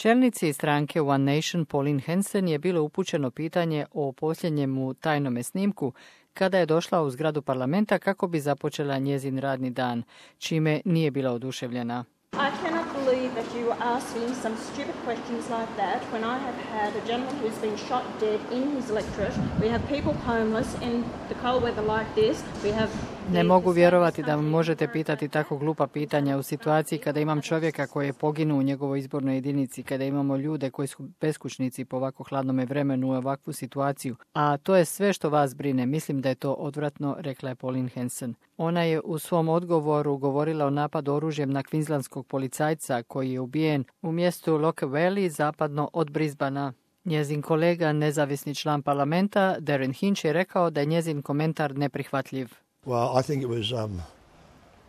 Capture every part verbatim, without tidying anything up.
Čelnici stranke One Nation Pauline Hanson je bilo upućeno pitanje o posljednjemu tajnome snimku kada je došla u zgradu parlamenta kako bi započela njezin radni dan, čime nije bila oduševljena. I cannot believe that you are asking some stupid questions like that when I have had a gentleman who's been shot dead in his electorate. We have people homeless in the cold weather like this. We have Ne mogu vjerovati da možete pitati tako glupa pitanja u situaciji kada imam čovjeka koji je poginuo u njegovoj izbornoj jedinici, kada imamo ljude koji su beskućnici po ovako hladnome vremenu u ovakvu situaciju. A to je sve što vas brine. Mislim da je to odvratno, rekla je Pauline Hanson. Ona je u svom odgovoru govorila o napadu oružjem na kvinzlandskog policajca koji je ubijen u mjestu Loch Valley zapadno od Brisbanea. Njezin kolega, nezavisni član parlamenta, Darren Hinch, je rekao da je njezin komentar neprihvatljiv. Well, I think it was um,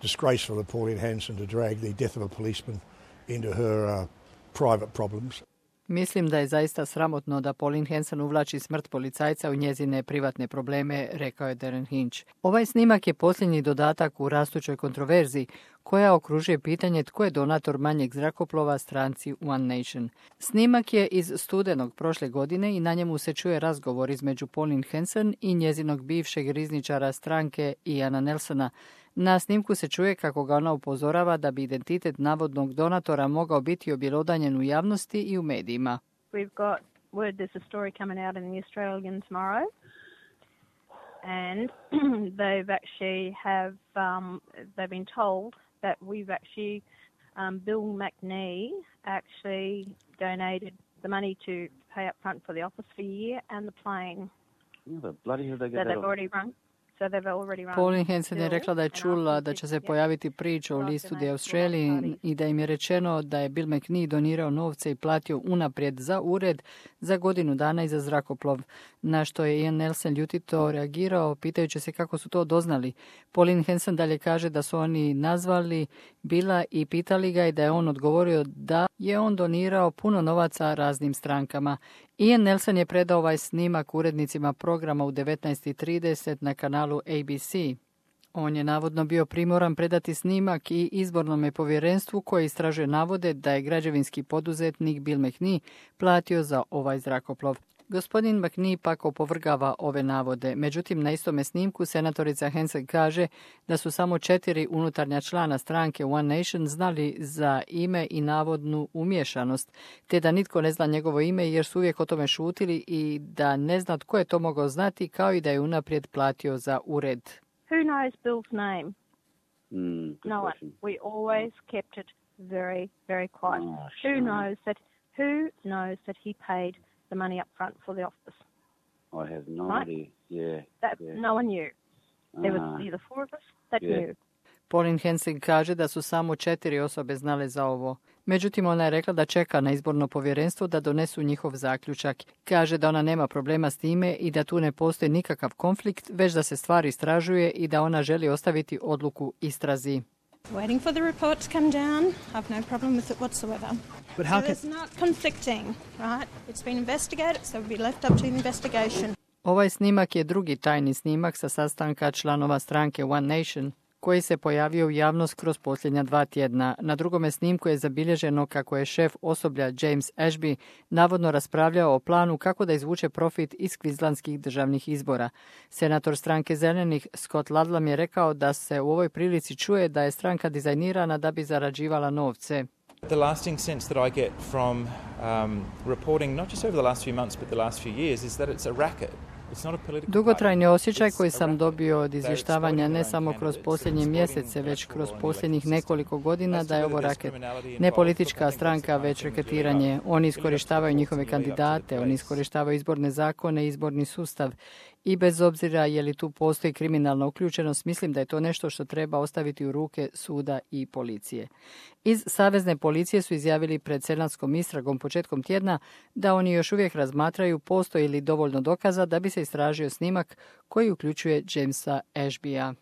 disgraceful of Pauline Hanson to drag the death of a policeman into her uh, private problems. Mislim da je zaista sramotno da Pauline Hanson uvlači smrt policajca u njezine privatne probleme, rekao je Darren Hinch. Ovaj snimak je posljednji dodatak u rastućoj kontroverziji koja okružuje pitanje tko je donator manjeg zrakoplova stranci One Nation. Snimak je iz studenog prošle godine i na njemu se čuje razgovor između Pauline Hanson i njezinog bivšeg rizničara stranke Iana Nelsona. Na snimku se čuje kako ga ona upozorava da bi identitet navodnog donatora mogao biti objelodanjen u javnosti i u medijima. We've got word there's a story coming out in the Australian tomorrow, and they've actually have um, they've been told that we've actually um, Bill McNee actually donated the money to pay up front for the office for a year and the plane. Yeah, but bloody hell they get that that they've already run. Pauline Hanson je rekla da je čula da će se pojaviti priča o listu The Australian i da im je rečeno da je Bill McNee donirao novce i platio unaprijed za ured za godinu dana i za zrakoplov, na što je Ian Nelson ljutito reagirao pitajući se kako su to doznali. Pauline Hanson dalje kaže da su oni nazvali Billa i pitali ga i da je on odgovorio da je on donirao puno novaca raznim strankama. Ian Nelson je predao ovaj snimak urednicima programa u devetnaest trideset na kanalu A B C. On je navodno bio primoran predati snimak i izbornom povjerenstvu koje istražuje navode da je građevinski poduzetnik Bill McNee platio za ovaj zrakoplov. Gospodin McNee pak opovrgava ove navode. Međutim, na istome snimku senatorica Hanson kaže da su samo četiri unutarnja člana stranke One Nation znali za ime i navodnu umiješanost, te da nitko ne zna njegovo ime jer su uvijek o tome šutili i da ne zna tko je to mogao znati, kao i da je unaprijed platio za ured. Who knows Bill's name? Mm, no one. We always kept it very, very quiet. Oh, who knows that? Who knows that he paid the money up front for the office? I have no right? idea. Yeah. That yeah. no one knew. There was Ah. either four of us that Yeah. knew. Pauline Hanson kaže da su samo četiri osobe znale za ovo. Međutim, ona je rekla da čeka na izborno povjerenstvo da donesu njihov zaključak. Kaže da ona nema problema s time i da tu ne postoji nikakav konflikt, već da se stvar istražuje i da ona želi ostaviti odluku istrazi. Waiting for the report to come down. I've no problem with it whatsoever. But how so can... it's not conflicting, right? It's been investigated, so it will be left up to the investigation. Ovaj snimak je drugi tajni snimak sa sastanka članova stranke One Nation, koji se pojavio u javnost kroz posljednja dva tjedna. Na drugome snimku je zabilježeno kako je šef osoblja James Ashby navodno raspravljao o planu kako da izvuče profit iz kvizlandskih državnih izbora. Senator stranke Zelenih Scott Ludlam je rekao da se u ovoj prilici čuje da je stranka dizajnirana da bi zarađivala novce. The lasting sense that I get from um, reporting, not just over the last few months, but the last few years, is that it's a racket. Dugotrajni osjećaj koji sam dobio od izvještavanja ne samo kroz posljednje mjesece, već kroz posljednjih nekoliko godina da je ovo raket. Ne politička stranka, već reketiranje. Oni iskorištavaju njihove kandidate, oni iskorištavaju izborne zakone i izborni sustav. I bez obzira je li tu postoji kriminalna uključenost, mislim da je to nešto što treba ostaviti u ruke suda i policije. Iz Savezne policije su izjavili pred senatskom istragom početkom tjedna da oni još uvijek razmatraju postoji li dovoljno dokaza da bi se istražio snimak koji uključuje Jamesa Ashbya.